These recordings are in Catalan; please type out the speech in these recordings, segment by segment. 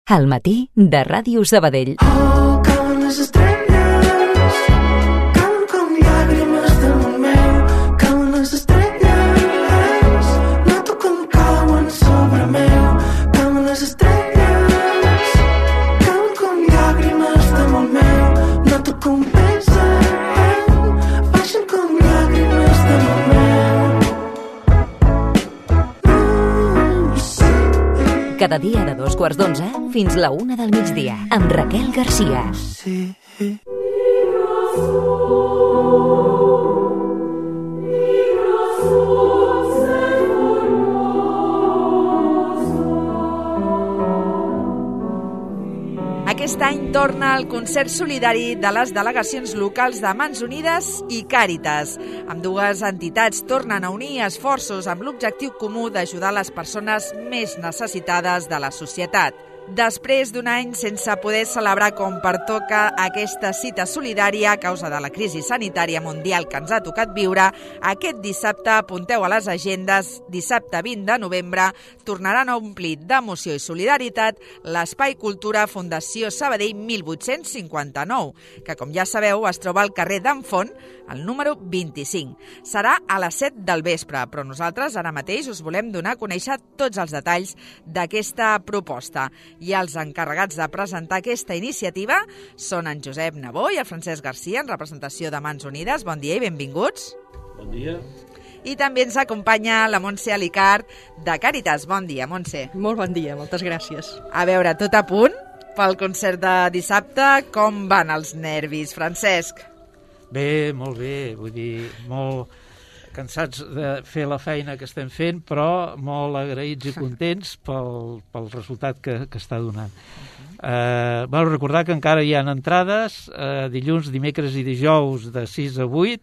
Al matí de Ràdio Sabadell. Oh, cauen les estrelles, cauen com llàgrimes damunt meu, cauen les estrelles, noto com cauen sobre meu, cauen les estrelles, cauen com llàgrimes damunt meu, noto com pesen, baixen com llàgrimes damunt meu. Cada dia de 2:15 fins la 1 del migdia, amb Raquel Garcia. Sí. Aquest any torna el concert solidari de les delegacions locals de Mans Unides i Càritas. Ambdues entitats tornen a unir esforços amb l'objectiu comú d'ajudar les persones més necessitades de la societat. Després d'un any sense poder celebrar com pertoca aquesta cita solidària a causa de la crisi sanitària mundial que ens ha tocat viure, aquest dissabte, apunteu a les agendes, dissabte 20 de novembre, tornaran a omplir d'emoció i solidaritat l'Espai Cultura Fundació Sabadell 1859, que, com ja sabeu, es troba al carrer d'en Font, el número 25. Serà a les 7 del vespre, però nosaltres ara mateix us volem donar a conèixer tots els detalls d'aquesta proposta. I els encarregats de presentar aquesta iniciativa són en Josep Nabó i el Francesc Garcia, en representació de Mans Unides. Bon dia i benvinguts. Bon dia. I també ens acompanya la Montse Alicart, de Càritas. Bon dia, Montse. Molt bon dia, moltes gràcies. A veure, tot a punt pel concert de dissabte. Com van els nervis, Francesc? Bé, molt bé, vull dir, molt cansats de fer la feina que estem fent, però molt agraïts i contents pel resultat que està donant. Bueno, recordar que encara hi ha entrades dilluns, dimecres i dijous de 6 a 8,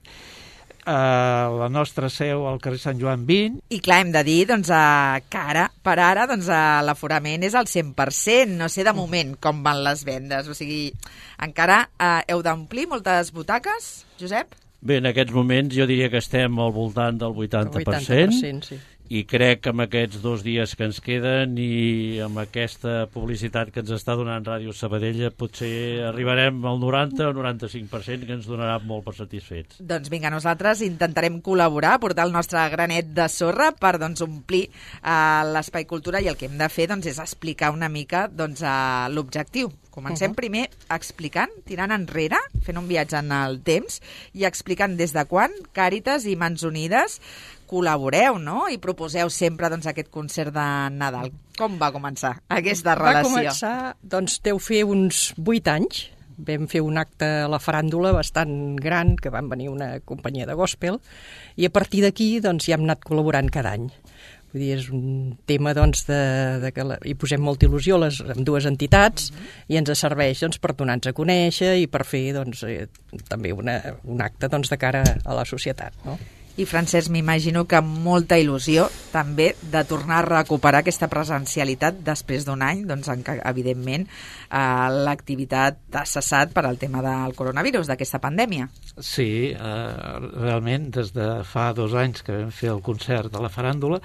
la nostra seu al carrer Sant Joan 20. I clar, hem de dir que per ara l'aforament és al 100%. No sé de moment com van les vendes. O sigui, encara heu d'omplir moltes butaques, Josep? Bé, en aquests moments jo diria que estem al voltant del 80%, 80%, sí. I crec que amb aquests 2 dies que ens queden i amb aquesta publicitat que ens està donant Ràdio Sabadell potser arribarem al 90 o 95%, que ens donarà molt per satisfets. Doncs vinga, nosaltres intentarem col·laborar, portar el nostre granet de sorra per omplir l'Espai Cultura, i el que hem de fer és explicar una mica l'objectiu. Comencem primer explicant, tirant enrere, fent un viatge en el temps i explicant des de quan Càritas i Mans Unides col·laboreu, no? I proposeu sempre aquest concert de Nadal. Com va començar aquesta relació? Va començar, deu fer uns 8 anys. Vam fer un acte a la faràndula bastant gran, que van venir una companyia de gospel, i a partir d'aquí ja hem anat col·laborant cada any. Vull dir, és un tema de que hi posem molta il·lusió amb dues entitats i ens serveix per donar-nos a conèixer i per fer també un acte de cara a la societat, no? I Francesc, m'imagino que amb molta il·lusió també de tornar a recuperar aquesta presencialitat després d'un any, en què evidentment l'activitat ha cessat per al tema del coronavirus, d'aquesta pandèmia. Sí, realment des de fa 2 anys que vam fer el concert de la faràndula,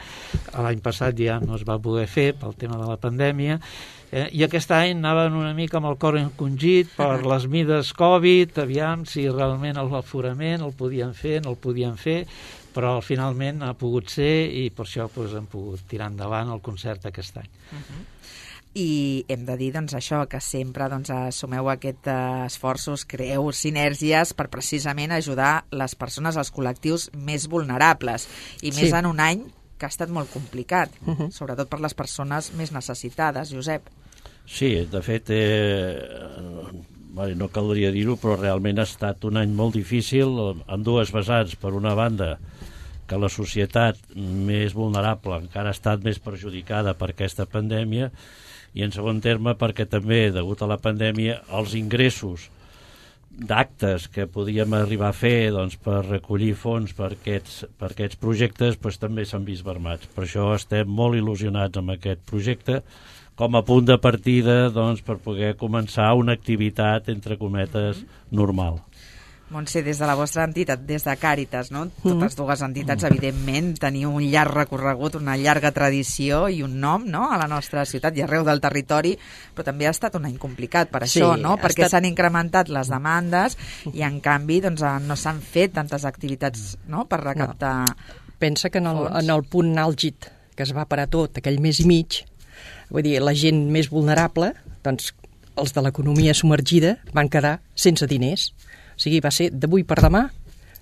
l'any passat ja no es va poder fer pel tema de la pandèmia, i aquest any anaven una mica amb el cor encongit per les mides Covid, aviam si realment l'aforament el podien fer, no el podien fer, però finalment ha pogut ser i per això hem pogut tirar endavant el concert aquest any. I hem de dir això, que sempre assumeu aquests esforços, creeu sinergies per precisament ajudar les persones, els col·lectius més vulnerables, i més en un any que ha estat molt complicat, sobretot per les persones més necessitades, Josep. Sí, de fet, no caldria dir-ho, però realment ha estat un any molt difícil en dues vessants. Per una banda, que la societat més vulnerable encara ha estat més perjudicada per aquesta pandèmia, i en segon terme perquè també, degut a la pandèmia, els ingressos d'actes que podíem arribar a fer per recollir fons per aquests projectes també s'han vist mermats. Per això estem molt il·lusionats amb aquest projecte com a punt de partida per poder començar una activitat, entre cometes, normal. Montse, des de la vostra entitat, des de Càritas, no? Totes dues entitats, evidentment, teniu un llarg recorregut, una llarga tradició i un nom, no?, a la nostra ciutat i arreu del territori, però també ha estat un any complicat per això, no? Perquè s'han incrementat les demandes i, en canvi, doncs, no s'han fet tantes activitats, no?, per recaptar Pensa que en fons. el punt àlgid que es va parar tot, aquell mes i mig, vull dir, la gent més vulnerable, doncs, els de l'economia submergida van quedar sense diners. O sigui, va ser d'avui per demà,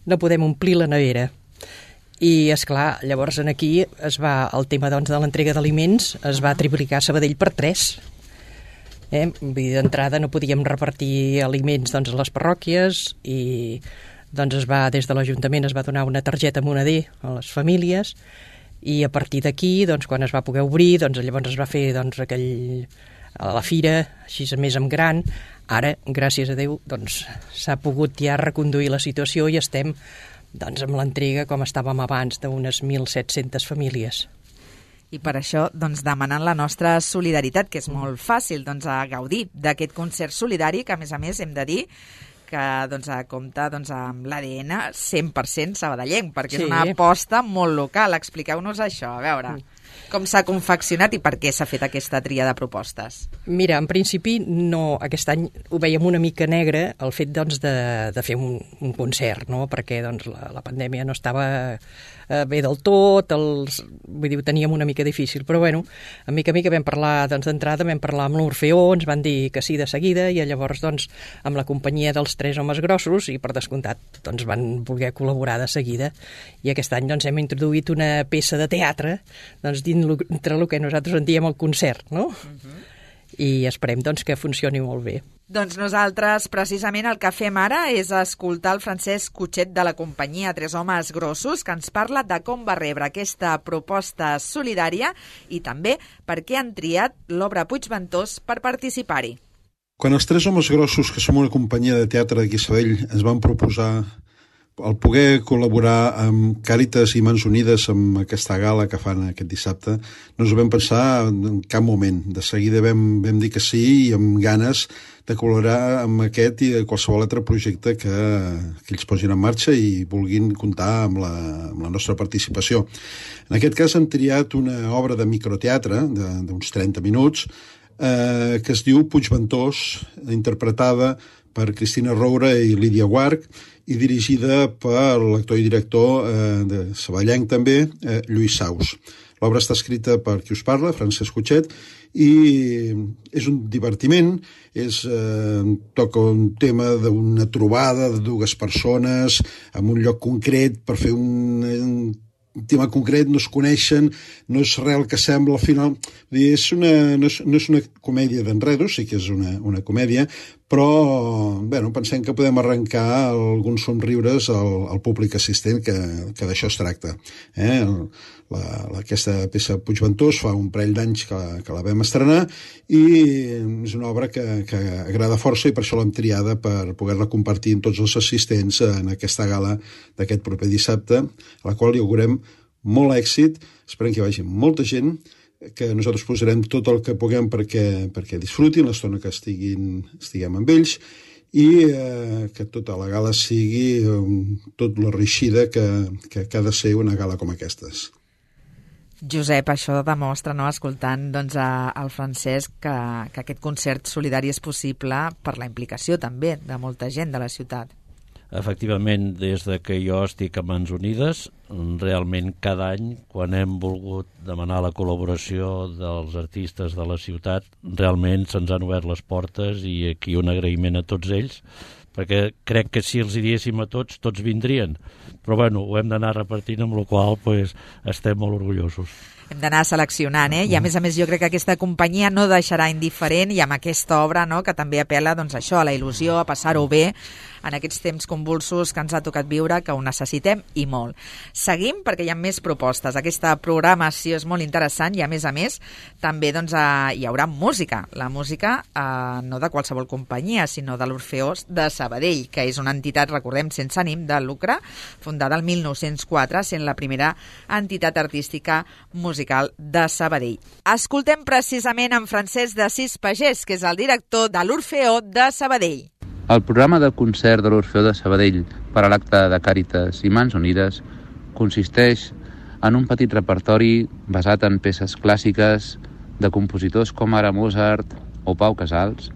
no podem omplir la nevera. I, esclar, llavors aquí el tema doncs, de l'entrega d'aliments es va triplicar a Sabadell per 3. Vull dir, d'entrada no podíem repartir aliments doncs, a les parròquies i doncs, des de l'Ajuntament es va donar una targeta moneder a les famílies i a partir d'aquí, doncs, quan es va poder obrir, doncs, llavors es va fer doncs, a la fira, així més en gran. Ara, gràcies a Déu, doncs, s'ha pogut ja reconduir la situació i estem doncs, amb l'entrega com estàvem abans d'unes 1.700 famílies. I per això doncs, demanant la nostra solidaritat, que és molt fàcil doncs, a gaudir d'aquest concert solidari, que a més hem de dir que doncs, compta doncs, amb l'ADN 100% sabadellenc, perquè és una aposta molt local. Expliqueu-nos això, a veure. Com s'ha confeccionat i per què s'ha fet aquesta tria de propostes? Mira, en principi no, aquest any ho veiem una mica negre el fet doncs, de fer un concert, no? Perquè doncs, la pandèmia no estava bé del tot, vull dir, ho teníem una mica difícil, però bueno, a mica vam parlar doncs, d'entrada, vam parlar amb l'Orfeó, ens van dir que sí de seguida i llavors doncs, amb la companyia dels 3 homes grossos i per descomptat doncs, van voler col·laborar de seguida i aquest any doncs, hem introduït una peça de teatre doncs, entre el que nosaltres en diem el concert, no? I esperem doncs, que funcioni molt bé. Doncs nosaltres, precisament, el que fem ara és escoltar el Francesc Cutxet de la companyia 3 homes grossos, que ens parla de com va rebre aquesta proposta solidària i també per què han triat l'obra Puigventós per participar-hi. Quan els 3 homes grossos, que som una companyia de teatre d'aquí a Sabadell, ens van proposar el poder col·laborar amb Càritas i Mans Unides amb aquesta gala que fan aquest dissabte, no ens ho vam pensar en cap moment. De seguida vam dir que sí i amb ganes de col·laborar amb aquest i de qualsevol altre projecte que ells posin en marxa i vulguin comptar amb la nostra participació. En aquest cas han triat una obra de microteatre d'uns 30 minuts que es diu Puigventós, interpretada per Cristina Roura i Lídia Guarch i dirigida per l'actor i director de sabadellenc també, Lluís Saus. L'obra està escrita per qui us parla, Francesc Cutxet, i és un divertiment, toca un tema d'una trobada de 2 persones en un lloc concret per fer un tema concret, no es coneixen, no és res el que sembla al final. No és una comèdia d'enredos, sí que és una comèdia, però bueno, pensem que podem arrencar alguns somriures al públic assistent, que d'això es tracta. Aquesta peça Puigventós fa un parell d'anys que la vam estrenar i és una obra que agrada força i per això l'hem triada per poder-la compartir amb tots els assistents en aquesta gala d'aquest proper dissabte, a la qual hi augurem molt èxit. Esperem que hi vagi molta gent, que nosaltres posarem tot el que puguem perquè disfrutin l'estona que estiguem amb ells i que tota la gala sigui tot la reeixida que ha de ser una gala com aquestes. Josep, això demostra, no, escoltant doncs, al Francesc, que aquest concert solidari és possible per la implicació també de molta gent de la ciutat. Efectivament, des de que jo estic a Mans Unides, realment cada any, quan hem volgut demanar la col·laboració dels artistes de la ciutat, realment se'ns han obert les portes i aquí un agraïment a tots ells, perquè crec que si els hi diéssim a tots vindrien. Però bueno, ho hem d'anar repartint, amb la qual cosa estem molt orgullosos. Hem d'anar seleccionant, i a més jo crec que aquesta companyia no deixarà indiferent i amb aquesta obra, no, que també apel·la doncs, això, a la il·lusió, a passar-ho bé en aquests temps convulsos que ens ha tocat viure, que ho necessitem i molt. Seguim perquè hi ha més propostes. Aquesta programació és molt interessant i a més també doncs, hi haurà música. La música no de qualsevol companyia, sinó de l'Orfeó de Sabadell, que és una entitat, recordem, sense ànim de lucre, fundada el 1904, sent la primera entitat artística musical de Sabadell. Escoltem precisament en Francesc d'Assís Pagès, que és el director de l'Orfeó de Sabadell. El programa de concert de l'Orfeó de Sabadell per a l'acte de Càritas i Mans Unides consisteix en un petit repertori basat en peces clàssiques de compositors com ara Mozart o Pau Casals,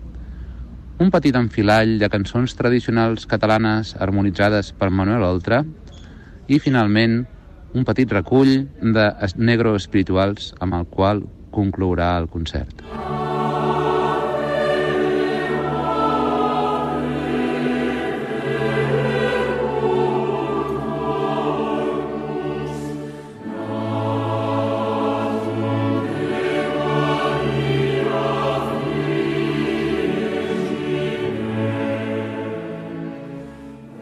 un petit enfilall de cançons tradicionals catalanes harmonitzades per Manuel Oltra i, finalment, un petit recull de negro espirituals amb el qual conclourà el concert.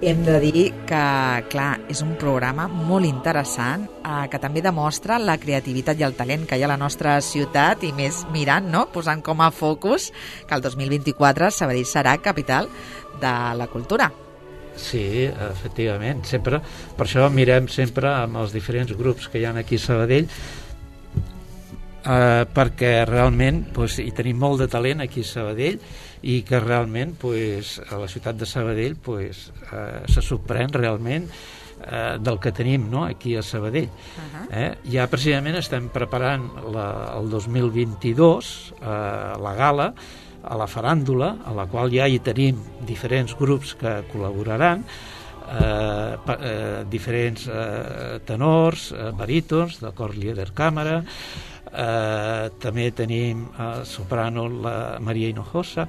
Hem de dir que, clar, és un programa molt interessant que també demostra la creativitat i el talent que hi ha a la nostra ciutat i més mirant, no?, posant com a focus que el 2024 Sabadell serà capital de la cultura. Sí, efectivament. Sempre, per això mirem sempre amb els diferents grups que hi ha aquí a Sabadell, perquè realment hi tenim molt de talent aquí a Sabadell i que realment a la ciutat de Sabadell se sorprèn realment del que tenim, no?, aquí a Sabadell. Ja precisament estem preparant el 2022 la gala, a la faràndula, a la qual ja hi tenim diferents grups que col·laboraran, diferents tenors, barítons, de cor líder càmera, també tenim soprano la Maria Hinojosa,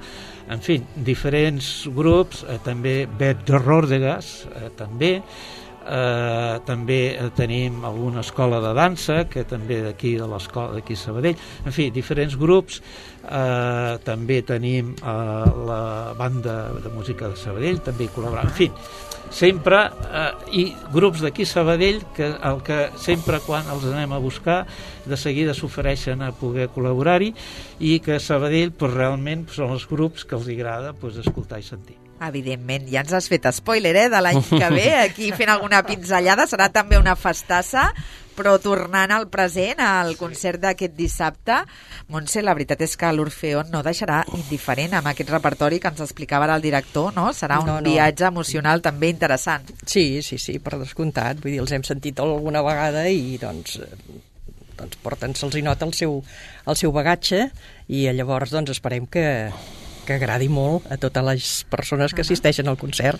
en fi, diferents grups, també Bet Ròrdegas, també tenim alguna escola de dansa que també d'aquí de l'escola d'aquí a Sabadell, en fi, diferents grups, també tenim la banda de música de Sabadell, també hi col·laboren, en fi, sempre, i grups d'aquí a Sabadell que sempre quan els anem a buscar de seguida s'ofereixen a poder col·laborar-hi i que a Sabadell realment són els grups que els agrada escoltar i sentir. Evidentment, ja ens has fet spoiler, de l'any que ve, aquí fent alguna pinzellada, serà també una festassa, però tornant al present, al concert d'aquest dissabte, Montse, la veritat és que l'Orfeó no deixarà indiferent amb aquest repertori que ens explicava el director, no? Serà un viatge emocional també interessant. Sí, per descomptat, vull dir, els hem sentit alguna vegada i doncs porten, se'ls hi nota el seu bagatge i llavors doncs esperem que agradi molt a totes les persones que assisteixen al concert.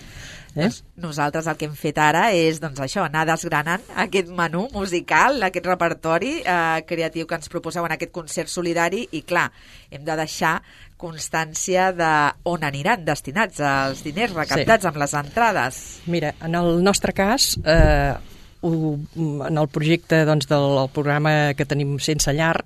Nosaltres el que hem fet ara és això, anar desgranant aquest menú musical, aquest repertori creatiu que ens proposeu en aquest concert solidari i, clar, hem de deixar constància d'on aniran destinats els diners recaptats amb les entrades. Mira, en el nostre cas, en el projecte del programa que tenim Sense Llar,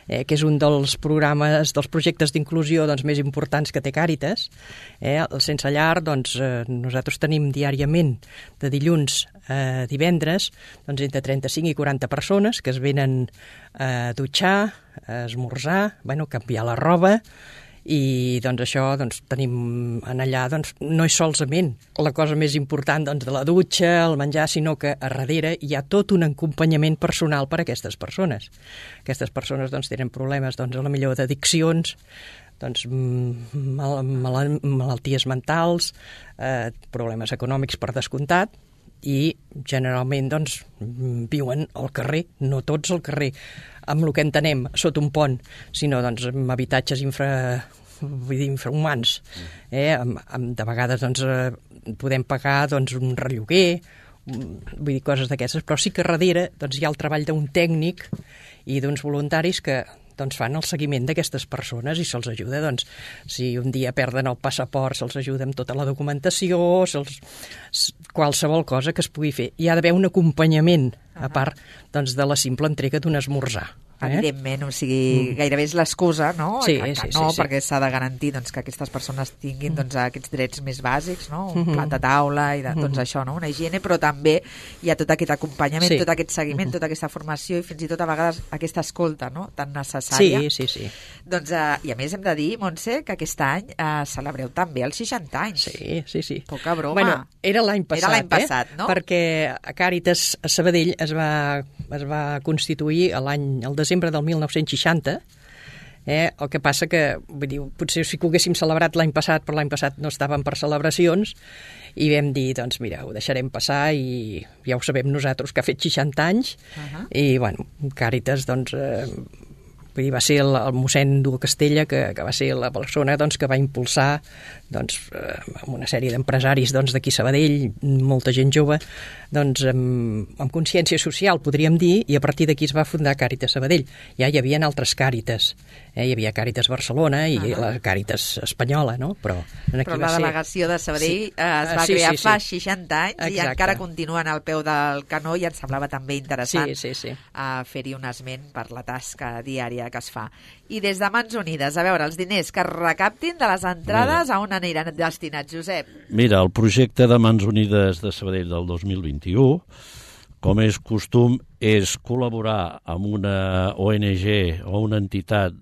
que és un dels programes, dels projectes d'inclusió més importants que té Càritas. El Sense Llar, nosaltres tenim diàriament, de dilluns a divendres, entre 35 i 40 persones que es venen a dutxar, a esmorzar, canviar la roba, i això tenim allà, no és solament la cosa més important de la dutxa, el menjar, sinó que a darrere hi ha tot un acompanyament personal per a aquestes persones. Aquestes persones tenen problemes a la millor d'addiccions, malalties mentals, problemes econòmics per descomptat, i generalment viuen al carrer, no tots al carrer, amb el que entenem sota un pont, sinó amb habitatges infrahumans. De vegades podem pagar un relloguer, vull dir, coses d'aquestes, però sí que darrere hi ha el treball d'un tècnic i d'uns voluntaris que fan el seguiment d'aquestes persones i se'ls ajuda, si un dia perden el passaport, se'ls ajuda amb tota la documentació, qualsevol cosa que es pugui fer. Hi ha d'haver un acompanyament, a part de la simple entrega d'un esmorzar. Evidentment, o sigui, gairebé és l'excusa, no? Sí, perquè s'ha de garantir que aquestes persones tinguin aquests drets més bàsics, no? Un plat de taula i això, no? Una higiene, però també hi ha tot aquest acompanyament, tot aquest seguiment, tota aquesta formació i fins i tot a vegades aquesta escolta, no?, tan necessària. Sí. I a més hem de dir, Montse, que aquest any celebreu també els 60 anys. Sí. Poca broma. Bueno, era l'any passat, no? Perquè Càritas a Sabadell es va constituir el desembre del 1960, El que passa que, vull dir, potser sí que ho haguéssim celebrat l'any passat, però l'any passat no estàvem per celebracions, i vam dir, doncs mira, ho deixarem passar i ja ho sabem nosaltres que ha fet 60 anys, i bueno, Càritas, doncs... vull dir, va ser el mossèn Duo Castella que va ser la persona doncs, que va impulsar doncs, amb una sèrie d'empresaris doncs, d'aquí Sabadell, molta gent jove, doncs, amb consciència social, podríem dir, i a partir d'aquí es va fundar Càritas Sabadell. Ja hi havia altres Càritas, hi havia Càritas Barcelona i la Càritas espanyola, no? Però la delegació de Sabadell es va crear fa 60 anys i encara continuen al peu del canó, i ens semblava també interessant fer-hi un esment per la tasca diària que es fa. I des de Mans Unides, a veure, els diners que es recaptin de les entrades, a on aniran destinats, Josep? Mira, el projecte de Mans Unides de Sabadell del 2021, com és costum, és col·laborar amb una ONG o una entitat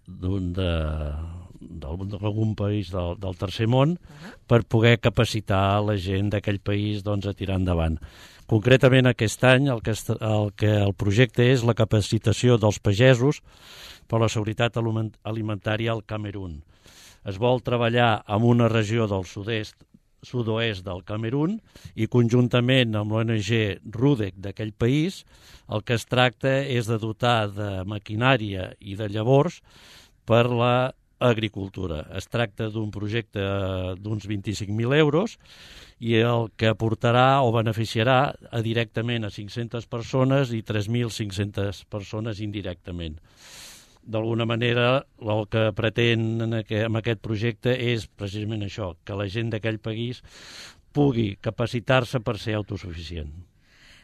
d'algun país del tercer món per poder capacitar la gent d'aquell país doncs, a tirar endavant. Concretament aquest any el projecte és la capacitació dels pagesos per la seguretat alimentària al Camerun. Es vol treballar en una regió del sud-oest del Camerun i conjuntament amb l'ONG RUDEC d'aquell país el que es tracta és de dotar de maquinària i de llavors per l'agricultura. Es tracta d'un projecte d'uns 25.000 euros i el que aportarà o beneficiarà directament a 500 persones i 3.500 persones indirectament. D'alguna manera, el que pretén amb aquest projecte és precisament això, que la gent d'aquell país pugui capacitar-se per ser autosuficient.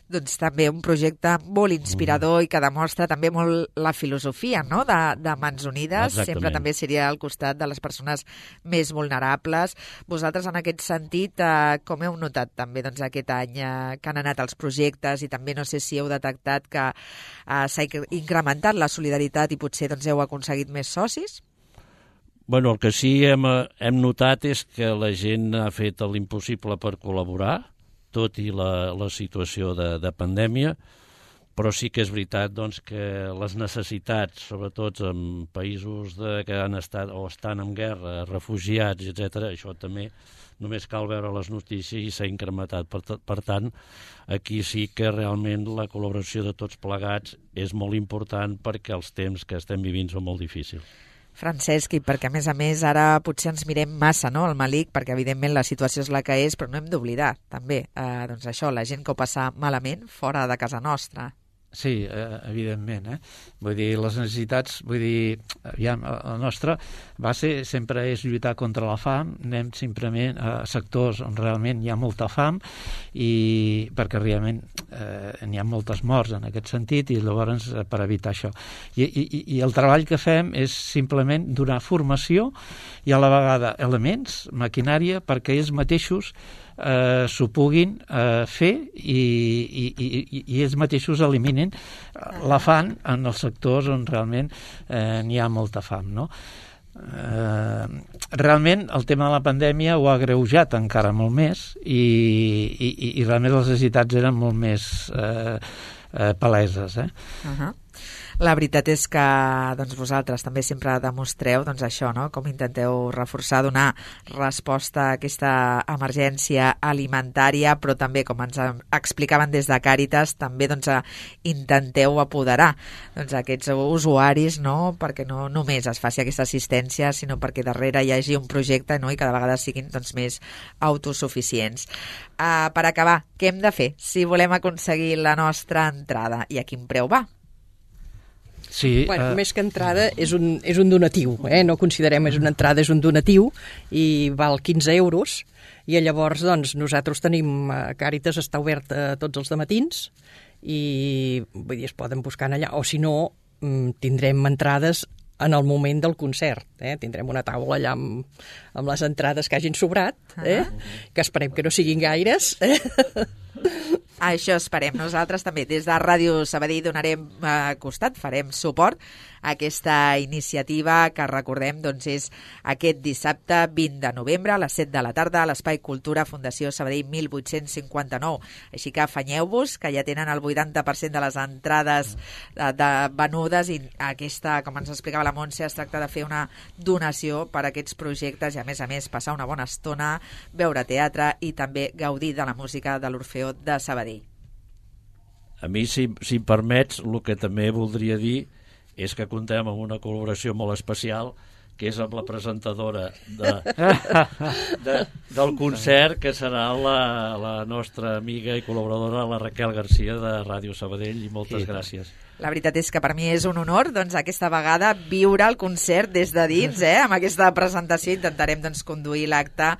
Doncs també un projecte molt inspirador i que demostra també molt la filosofia, no?, de Mans Unides. Exactament. Sempre també seria al costat de les persones més vulnerables. Vosaltres, en aquest sentit, com heu notat també doncs, aquest any que han anat els projectes i també no sé si heu detectat que s'ha incrementat la solidaritat i potser doncs, heu aconseguit més socis? Bueno, el que sí hem notat és que la gent ha fet l'impossible per col·laborar, tot i la situació de pandèmia, però sí que és veritat doncs, que les necessitats, sobretot en països que han estat o estan en guerra, refugiats, etc., això també només cal veure les notícies i s'ha incrementat. Per tant, aquí sí que realment la col·laboració de tots plegats és molt important perquè els temps que estem vivint són molt difícils. Francesc, i perquè a més ara potser ens mirem massa, no?, el malic, perquè evidentment la situació és la que és, però no hem d'oblidar també, doncs això, la gent que ho passa malament fora de casa nostra. Sí, evidentment. Vull dir, les necessitats, aviam, la nostra base sempre és lluitar contra la fam, anem simplement a sectors on realment hi ha molta fam i perquè realment n'hi ha moltes morts en aquest sentit i llavors per evitar això. I el treball que fem és simplement donar formació i a la vegada elements, maquinària, perquè ells mateixos s'ho puguin fer i ells mateixos eliminin l'afany en els sectors on realment n'hi ha molta fam, no? Realment el tema de la pandèmia ho ha agreujat encara molt més i realment les necessitats eren molt més paleses. La veritat és que doncs, vosaltres també sempre demostreu doncs, això, no?, com intenteu reforçar, donar resposta a aquesta emergència alimentària, però també, com ens explicaven des de Càritas, també doncs, intenteu apoderar doncs, aquests usuaris, no?, perquè no només es faci aquesta assistència, sinó perquè darrere hi hagi un projecte, no?, i cada vegada siguin doncs, més autosuficients. Per acabar, què hem de fer si volem aconseguir la nostra entrada i a quin preu va? Sí, bueno, més que entrada és un donatiu, no considerem és una entrada, és un donatiu i val 15 euros i llavors doncs, nosaltres tenim, Càritas està obert tots els dematins i vull dir, es poden buscar allà, o si no tindrem entrades en el moment del concert, tindrem una taula allà amb les entrades que hagin sobrat, que esperem que no siguin gaires, Això esperem. Nosaltres també des de Ràdio Sabadell donarem costat, farem suport a aquesta iniciativa que recordem doncs, és aquest dissabte 20 de novembre a les 7 de la tarda a l'Espai Cultura Fundació Sabadell 1859. Així que afanyeu-vos, que ja tenen el 80% de les entrades venudes i aquesta, com ens explicava la Montse, es tracta de fer una donació per a aquests projectes i a més passar una bona estona, veure teatre i també gaudir de la música de l'Orfeó de Sabadell. A mi, si em permets, el que també voldria dir és que contem amb una col·laboració molt especial, que és amb la presentadora del concert, que serà la nostra amiga i col·laboradora, la Raquel Garcia, de Ràdio Sabadell, i moltes gràcies. La veritat és que per mi és un honor, doncs, aquesta vegada viure el concert des de dins, amb aquesta presentació. Intentarem doncs, conduir l'acte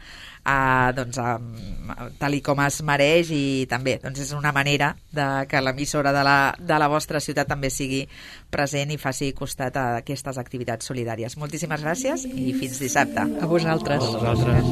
tal i com es mereix i també doncs, és una manera de que l'emissora de la vostra ciutat també sigui present i faci costat a aquestes activitats solidàries. Moltíssimes gràcies i fins dissabte. A vosaltres. A vosaltres.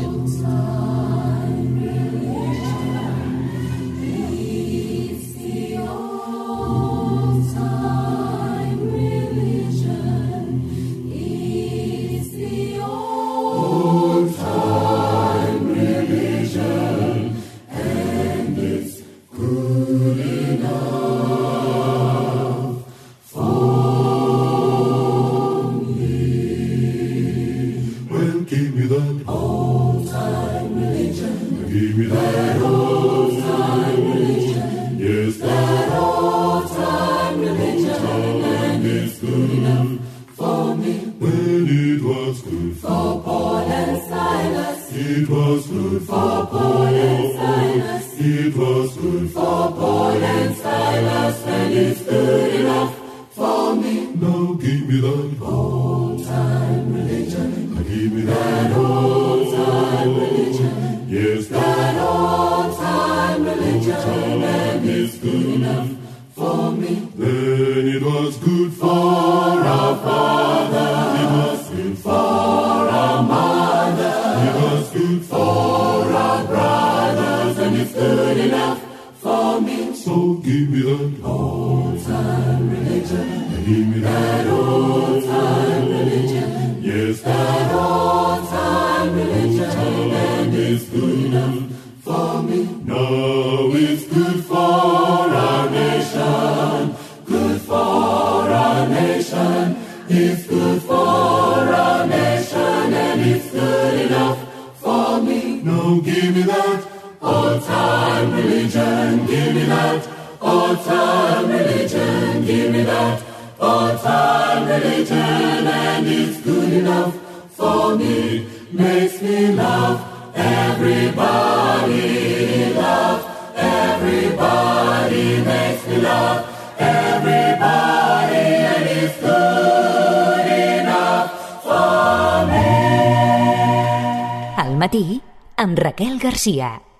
Al matí, amb Raquel Garcia.